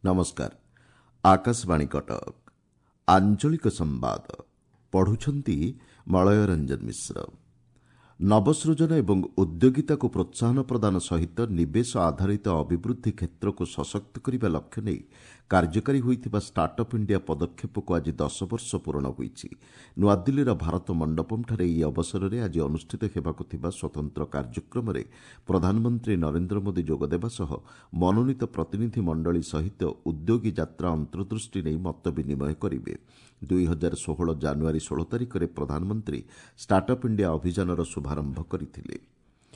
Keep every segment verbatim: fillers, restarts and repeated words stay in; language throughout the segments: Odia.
ନମସ୍କାର ଆକାଶବାଣୀ କଟକ ଆଞ୍ଚଳିକ ସମ୍ବାଦ ପଢୁଛନ୍ତି ମଳୟ ରଞ୍ଜନ ମିଶ୍ର ନବସୃଜନ ଏବଂ ଉଦ୍ୟୋଗିତାକୁ ପ୍ରୋତ୍ସାହନ ପ୍ରଦାନ ସହିତ ନିବେଶ ଆଧାରିତ ଅଭିବୃଦ୍ଧି କ୍ଷେତ୍ରକୁ ସଶକ୍ତ କରିବା ଲକ୍ଷ୍ୟ ନେଇ କାର୍ଯ୍ୟକାରୀ ହୋଇଥିବା ଷ୍ଟାର୍ଟ ଅପ୍ ଇଣ୍ଡିଆ ପଦକ୍ଷେପକୁ ଆଜି ଦଶ ବର୍ଷ ପୂରଣ ହୋଇଛି ନୂଆଦିଲ୍ଲୀର ଭାରତ ମଣ୍ଡପମ୍ଠାରେ ଏହି ଅବସରରେ ଆଜି ଅନୁଷ୍ଠିତ ହେବାକୁ ଥିବା ସ୍ୱତନ୍ତ୍ର କାର୍ଯ୍ୟକ୍ରମରେ ପ୍ରଧାନମନ୍ତ୍ରୀ ନରେନ୍ଦ୍ର ମୋଦି ଯୋଗଦେବା ସହ ମନୋନୀତ ପ୍ରତିନିଧି ମଣ୍ଡଳୀ ସହିତ ଉଦ୍ୟୋଗୀ ଯାତ୍ରା ଅନ୍ତର୍ଦୃଷ୍ଟି ନେଇ ମତ ବିନିମୟ କରିବେ ଦୁଇ ହଜାର ଷୋହଳ ଜାନୁଆରୀ ଷୋହଳ ତାରିଖରେ ପ୍ରଧାନମନ୍ତ୍ରୀ ଷ୍ଟାର୍ଟ ଅପ୍ ଇଣ୍ଡିଆ ଅଭିଯାନର ଶୁଭାରମ୍ଭ କରିଥିଲେ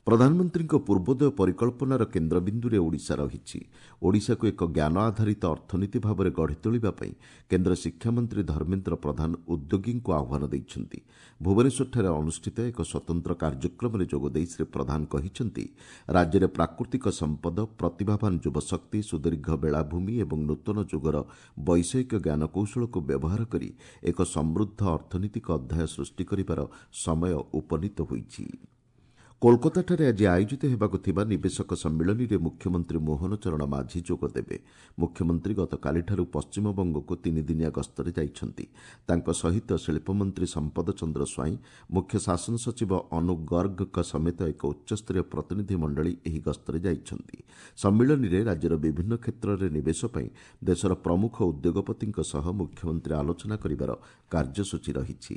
ପ୍ରଧାନମନ୍ତ୍ରୀଙ୍କ ପୂର୍ବୋଦୟ ପରିକଳ୍ପନାର କେନ୍ଦ୍ରବିନ୍ଦୁରେ ଓଡ଼ିଶା ରହିଛି ଓଡ଼ିଶାକୁ ଏକ ଜ୍ଞାନ ଆଧାରିତ ଅର୍ଥନୀତି ଭାବରେ ଗଢ଼ି ତୋଳିବା ପାଇଁ କେନ୍ଦ୍ର ଶିକ୍ଷାମନ୍ତ୍ରୀ ଧର୍ମେନ୍ଦ୍ର ପ୍ରଧାନ ଉଦ୍ୟୋଗୀଙ୍କୁ ଆହ୍ୱାନ ଦେଇଛନ୍ତି ଭୁବନେଶ୍ୱରଠାରେ ଅନୁଷ୍ଠିତ ଏକ ସ୍ୱତନ୍ତ୍ର କାର୍ଯ୍ୟକ୍ରମରେ ଯୋଗଦେଇ ଶ୍ରୀ ପ୍ରଧାନ କହିଛନ୍ତି ରାଜ୍ୟରେ ପ୍ରାକୃତିକ ସମ୍ପଦ ପ୍ରତିଭାବାନ ଯୁବଶକ୍ତି ସୁଦୀର୍ଘ ବେଳାଭୂମି ଏବଂ ନୂତନ ଯୁଗର ବୈଷୟିକ ଜ୍ଞାନକୌଶଳକୁ ବ୍ୟବହାର କରି ଏକ ସମୃଦ୍ଧ ଅର୍ଥନୈତିକ ଅଧ୍ୟାୟ ସୃଷ୍ଟି କରିବାର ସମୟ ଉପନୀତ ହୋଇଛି କୋଲକାତାଠାରେ ଆଜି ଆୟୋଜିତ ହେବାକୁ ଥିବା ନିବେଶକ ସମ୍ମିଳନୀରେ ମୁଖ୍ୟମନ୍ତ୍ରୀ ମୋହନ ଚରଣ ମାଝୀ ଯୋଗଦେବେ ମୁଖ୍ୟମନ୍ତ୍ରୀ ଗତକାଲିଠାରୁ ପଶ୍ଚିମବଙ୍ଗକୁ ତିନିଦିନିଆ ଗସ୍ତରେ ଯାଇଛନ୍ତି ତାଙ୍କ ସହିତ ଶିଳ୍ପମନ୍ତ୍ରୀ ସମ୍ପଦ ଚନ୍ଦ୍ର ସ୍ୱାଇଁ ମୁଖ୍ୟ ଶାସନ ସଚିବ ଅନୁ ଗର୍ଗଙ୍କ ସମେତ ଏକ ଉଚ୍ଚସ୍ତରୀୟ ପ୍ରତିନିଧି ମଣ୍ଡଳୀ ଏହି ଗସ୍ତରେ ଯାଇଛନ୍ତି ସମ୍ମିଳନୀରେ ରାଜ୍ୟର ବିଭିନ୍ନ କ୍ଷେତ୍ରରେ ନିବେଶ ପାଇଁ ଦେଶର ପ୍ରମୁଖ ଉଦ୍ୟୋଗପତିଙ୍କ ସହ ମୁଖ୍ୟମନ୍ତ୍ରୀ ଆଲୋଚନା କରିବାର କାର୍ଯ୍ୟସୂଚୀ ରହିଛି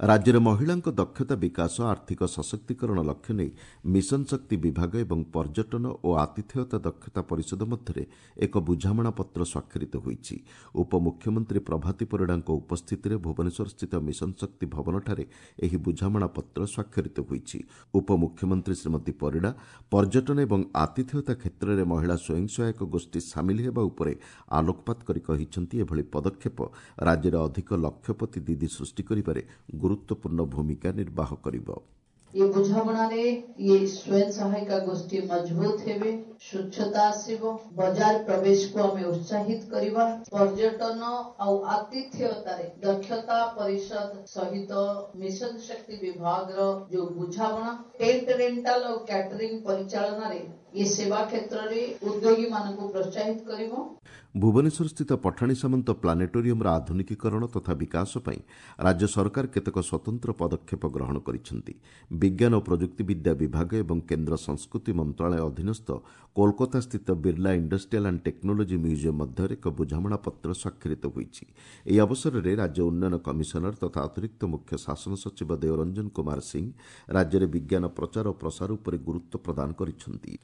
ରାଜ୍ୟରେ ମହିଳାଙ୍କ ଦକ୍ଷତା ବିକାଶ ଆର୍ଥିକ ସଶକ୍ତିକରଣ ଲକ୍ଷ୍ୟ ନେଇ ମିଶନ ଶକ୍ତି ବିଭାଗ ଏବଂ ପର୍ଯ୍ୟଟନ ଓ ଆତିଥେୟତା ଦକ୍ଷତା ପରିଷଦ ମଧ୍ୟରେ ଏକ ବୁଝାମଣାପତ୍ର ସ୍ୱାକ୍ଷରିତ ହୋଇଛି ଉପମୁଖ୍ୟମନ୍ତ୍ରୀ ପ୍ରଭାତୀ ପରିଡ଼ାଙ୍କ ଉପସ୍ଥିତିରେ ଭୁବନେଶ୍ୱରସ୍ଥିତ ମିଶନ ଶକ୍ତି ଭବନଠାରେ ଏହି ବୁଝାମଣାପତ୍ର ସ୍ୱାକ୍ଷରିତ ହୋଇଛି ଉପମୁଖ୍ୟମନ୍ତ୍ରୀ ଶ୍ରୀମତୀ ପରିଡ଼ା ପର୍ଯ୍ୟଟନ ଏବଂ ଆତିଥେୟତା କ୍ଷେତ୍ରରେ ମହିଳା ସ୍ୱୟଂ ସହାୟକ ଗୋଷ୍ଠୀ ସାମିଲ ହେବା ଉପରେ ଆଲୋକପାତ କରି କହିଛନ୍ତି ଏଭଳି ପଦକ୍ଷେପ ରାଜ୍ୟରେ ଅଧିକ ଲକ୍ଷପତି ଦିଦି ସୃଷ୍ଟି କରିବାରେ ଗୁରୁତ୍ୱପୂର୍ଣ୍ଣ ଭୂମିକା ନିର୍ବାହ କରିବ ଏ ବୁଝାମଣାରେ ଇଏ ସ୍ୱୟଂ ସହାୟିକା ଗୋଷ୍ଠୀ ମଜବୁତ ହେବେ ସ୍ୱଚ୍ଛତା ଆସିବ ବଜାର ପ୍ରବେଶକୁ ଆମେ ଉତ୍ସାହିତ କରିବା ପର୍ଯ୍ୟଟନ ଆଉ ଆତିଥ୍ୟତାରେ ଦକ୍ଷତା ପରିଷଦ ସହିତ ମିଶନ ଶକ୍ତି ବିଭାଗର ଯୋଉ ବୁଝାମଣା ଟେଣ୍ଟ ରେଣ୍ଟାଲ ଆଉ କ୍ୟାଟରିଂ ପରିଚାଳନାରେ ଏ ସେବା କ୍ଷେତ୍ରରେ ଉଦ୍ୟୋଗୀମାନଙ୍କୁ ପ୍ରୋତ୍ସାହିତ କରିବ ଭୁବନେଶ୍ୱରସ୍ଥିତ ପଠାଣି ସାମନ୍ତ ପ୍ଲାନେଟୋରିୟମର ଆଧୁନିକୀକରଣ ତଥା ବିକାଶ ପାଇଁ ରାଜ୍ୟ ସରକାର କେତେକ ସ୍ୱତନ୍ତ୍ର ପଦକ୍ଷେପ ଗ୍ରହଣ କରିଛନ୍ତି ବିଜ୍ଞାନ ଓ ପ୍ରଯୁକ୍ତିବିଦ୍ୟା ବିଭାଗ ଏବଂ କେନ୍ଦ୍ର ସଂସ୍କୃତି ମନ୍ତ୍ରଣାଳୟ ଅଧୀନସ୍ଥ କୋଲକାତାସ୍ଥିତ Birla industrial and technology museum ମଧ୍ୟରେ ଏକ ବୁଝାମଣାପତ୍ର ସ୍ୱାକ୍ଷରିତ ହୋଇଛି ଏହି ଅବସରରେ ରାଜ୍ୟ ଉନ୍ନୟନ କମିଶନର ତଥା ଅତିରିକ୍ତ ମୁଖ୍ୟ ଶାସନ ସଚିବ ଦେଓରଞ୍ଜନ କୁମାର ସିଂ ରାଜ୍ୟରେ ବିଜ୍ଞାନ ପ୍ରଚାର ଓ ପ୍ରସାର ଉପରେ ଗୁରୁତ୍ୱ ପ୍ରଦାନ କରିଛନ୍ତି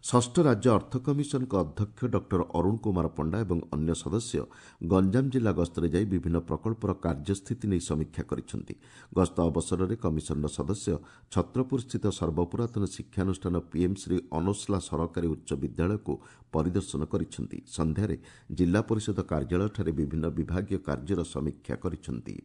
ଷଷ୍ଠ ରାଜ୍ୟ ଅର୍ଥ କମିଶନଙ୍କ ଅଧ୍ୟକ୍ଷ ଡକ୍ଟର ଅରୁଣ କୁମାର ପଣ୍ଡା ଏବଂ ଅନ୍ୟ ସଦସ୍ୟ ଗଞ୍ଜାମ ଜିଲ୍ଲା ଗସ୍ତରେ ଯାଇ ବିଭିନ୍ନ ପ୍ରକଳ୍ପର କାର୍ଯ୍ୟସ୍ଥିତି ନେଇ ସମୀକ୍ଷା କରିଛନ୍ତି ଗସ୍ତ ଅବସରରେ କମିଶନର ସଦସ୍ୟ ଛତ୍ରପୁରସ୍ଥିତ ସର୍ବପୁରାତନ ଶିକ୍ଷାନୁଷ୍ଠାନ ପିଏମ୍ ଶ୍ରୀ ଅନୋସ୍ଲା ସରକାରୀ ଉଚ୍ଚ ବିଦ୍ୟାଳୟକୁ ପରିଦର୍ଶନ କରିଛନ୍ତି ସନ୍ଧ୍ୟାରେ ଜିଲ୍ଲା ପରିଷଦ କାର୍ଯ୍ୟାଳୟଠାରେ ବିଭିନ୍ନ ବିଭାଗୀୟ କାର୍ଯ୍ୟର ସମୀକ୍ଷା କରିଛନ୍ତି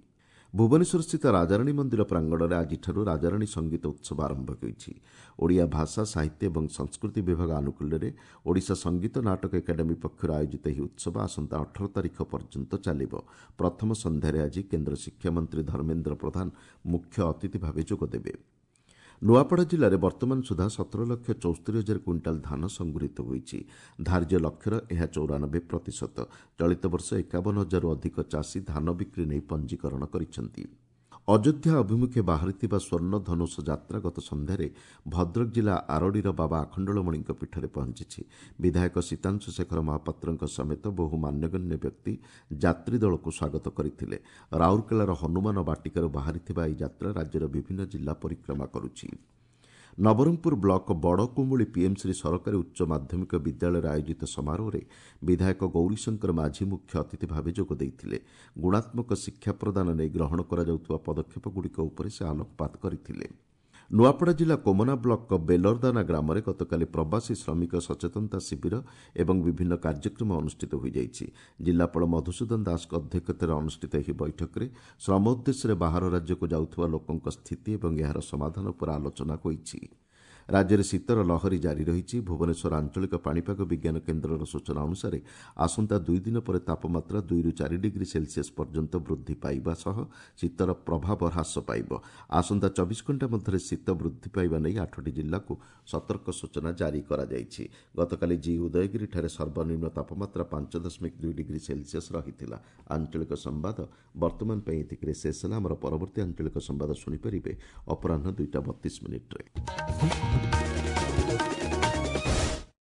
ଭୁବନେଶ୍ୱରସ୍ଥିତ ରାଜାରାଣୀ ମନ୍ଦିର ପ୍ରାଙ୍ଗଣରେ ଆଜିଠାରୁ ରାଜାରାଣୀ ସଙ୍ଗୀତ ଉତ୍ସବ ଆରମ୍ଭ ହୋଇଛି ଓଡ଼ିଆ ଭାଷା ସାହିତ୍ୟ ଏବଂ ସଂସ୍କୃତି ବିଭାଗ ଆନୁକୂଲ୍ୟରେ ଓଡ଼ିଶା ସଙ୍ଗୀତ ନାଟକ ଏକାଡେମୀ ପକ୍ଷରୁ ଆୟୋଜିତ ଏହି ଉତ୍ସବ ଆସନ୍ତା ଅଠର ତାରିଖ ପର୍ଯ୍ୟନ୍ତ ଚାଲିବ ପ୍ରଥମ ସନ୍ଧ୍ୟାରେ ଆଜି କେନ୍ଦ୍ର ଶିକ୍ଷାମନ୍ତ୍ରୀ ଧର୍ମେନ୍ଦ୍ର ପ୍ରଧାନ ମୁଖ୍ୟ ଅତିଥି ଭାବେ ଯୋଗଦେବେ ନୂଆପଡ଼ା ଜିଲ୍ଲାରେ ବର୍ତ୍ତମାନ ସୁଦ୍ଧା ସତର ଲକ୍ଷ ଚଉସ୍ତରୀ ହଜାର କୁଇଣ୍ଟାଲ ଧାନ ସଂଗୃହୀତ ହୋଇଛି ଧାର୍ଯ୍ୟ ଲକ୍ଷ୍ୟର ଏହା ଚଉରାନବେ ପ୍ରତିଶତ ଚଳିତ ବର୍ଷ ଏକାବନ ହଜାରରୁ ଅଧିକ ଚାଷୀ ଧାନ ବିକ୍ରି ନେଇ ପଞ୍ଜୀକରଣ କରିଛନ୍ତି ଅଯୋଧ୍ୟା ଅଭିମୁଖେ ବାହାରିଥିବା ସ୍ୱର୍ଣ୍ଣ ଧନୁଷ ଯାତ୍ରା ଗତ ସନ୍ଧ୍ୟାରେ ଭଦ୍ରକ ଜିଲ୍ଲା ଆରଡ଼ିର ବାବା ଆଖଣ୍ଡଳମଣିଙ୍କ ପୀଠରେ ପହଞ୍ଚିଛି ବିଧାୟକ ସୀତାଂଶୁ ଶେଖର ମହାପାତ୍ରଙ୍କ ସମେତ ବହୁ ମାନ୍ୟଗଣ୍ୟ ବ୍ୟକ୍ତି ଯାତ୍ରୀ ଦଳକୁ ସ୍ୱାଗତ କରିଥିଲେ ରାଉରକେଲାର ହନୁମାନ ବାଟିକାରୁ ବାହାରିଥିବା ଏହି ଯାତ୍ରା ରାଜ୍ୟର ବିଭିନ୍ନ ଜିଲ୍ଲା ପରିକ୍ରମା କରୁଛି ନବରଙ୍ଗପୁର ବ୍ଲକ ବଡ଼କୁମୁଳି ପିଏମ୍ଶ୍ରୀ ସରକାରୀ ଉଚ୍ଚ ମାଧ୍ୟମିକ ବିଦ୍ୟାଳୟରେ ଆୟୋଜିତ ସମାରୋହରେ ବିଧାୟକ ଗୌରୀଶଙ୍କର ମାଝୀ ମୁଖ୍ୟ ଅତିଥି ଭାବେ ଯୋଗ ଦେଇଥିଲେ ଗୁଣାତ୍ମକ ଶିକ୍ଷା ପ୍ରଦାନ ନେଇ ଗ୍ରହଣ କରାଯାଉଥିବା ପଦକ୍ଷେପଗୁଡ଼ିକ ଉପରେ ସେ ଆଲୋକପାତ କରିଥିଲେ ନୂଆପଡ଼ା ଜିଲ୍ଲା କୋମନା ବ୍ଲକ ବେଲରଦାନା ଗ୍ରାମରେ ଗତକାଲି ପ୍ରବାସୀ ଶ୍ରମିକ ସଚେତନତା ଶିବିର ଏବଂ ବିଭିନ୍ନ କାର୍ଯ୍ୟକ୍ରମ ଅନୁଷ୍ଠିତ ହୋଇଯାଇଛି ଜିଲ୍ଲାପାଳ ମଧୁସୂଦନ ଦାସଙ୍କ ଅଧ୍ୟକ୍ଷତାରେ ଅନୁଷ୍ଠିତ ଏହି ବୈଠକରେ ଶ୍ରମ ଉଦ୍ଦେଶ୍ୟରେ ବାହାର ରାଜ୍ୟକୁ ଯାଉଥିବା ଲୋକଙ୍କ ସ୍ଥିତି ଏବଂ ଏହାର ସମାଧାନ ଉପରେ ଆଲୋଚନା ହୋଇଛି ରାଜ୍ୟରେ ଶୀତର ଲହରୀ ଜାରି ରହିଛି। ଭୁବନେଶ୍ୱର ଆଞ୍ଚଳିକ ପାଣିପାଗ ବିଜ୍ଞାନ କେନ୍ଦ୍ରର ସୂଚନା ଅନୁସାରେ ଆସନ୍ତା ଦୁଇ ଦିନ ପରେ ତାପମାତ୍ରା ଦୁଇରୁ ଚାରି ଡିଗ୍ରୀ ସେଲସିୟସ୍ ପର୍ଯ୍ୟନ୍ତ ବୃଦ୍ଧି ପାଇବା ସହ ଶୀତର ପ୍ରଭାବ ହ୍ରାସ ପାଇବ। ଆସନ୍ତା ଚବିଶ ଘଣ୍ଟା ମଧ୍ୟରେ ଶୀତ ବୃଦ୍ଧି ପାଇବା ନେଇ ଆଠଟି ଜିଲ୍ଲାକୁ ସତର୍କ ସୂଚନା ଜାରି କରାଯାଇଛି। ଗତକାଲି ଜି ଉଦୟଗିରିଠାରେ ସର୍ବନିମ୍ନ ତାପମାତ୍ରା ପାଞ୍ଚ ଦଶମିକ ଦୁଇ ଡିଗ୍ରୀ ସେଲସିୟସ୍ ରହିଥିଲା। ଆଞ୍ଚଳିକ ସମ୍ବାଦ ବର୍ତ୍ତମାନ ପାଇଁ ଏତିକିରେ ଶେଷ ହେଲା। ଆମର ପରବର୍ତ୍ତୀ ଆଞ୍ଚଳିକ ସମ୍ବାଦ ଶୁଣିପାରିବେ ଅପରାହ୍ନ ଦୁଇଟା ବତିଶ ମିନିଟ୍ରେ।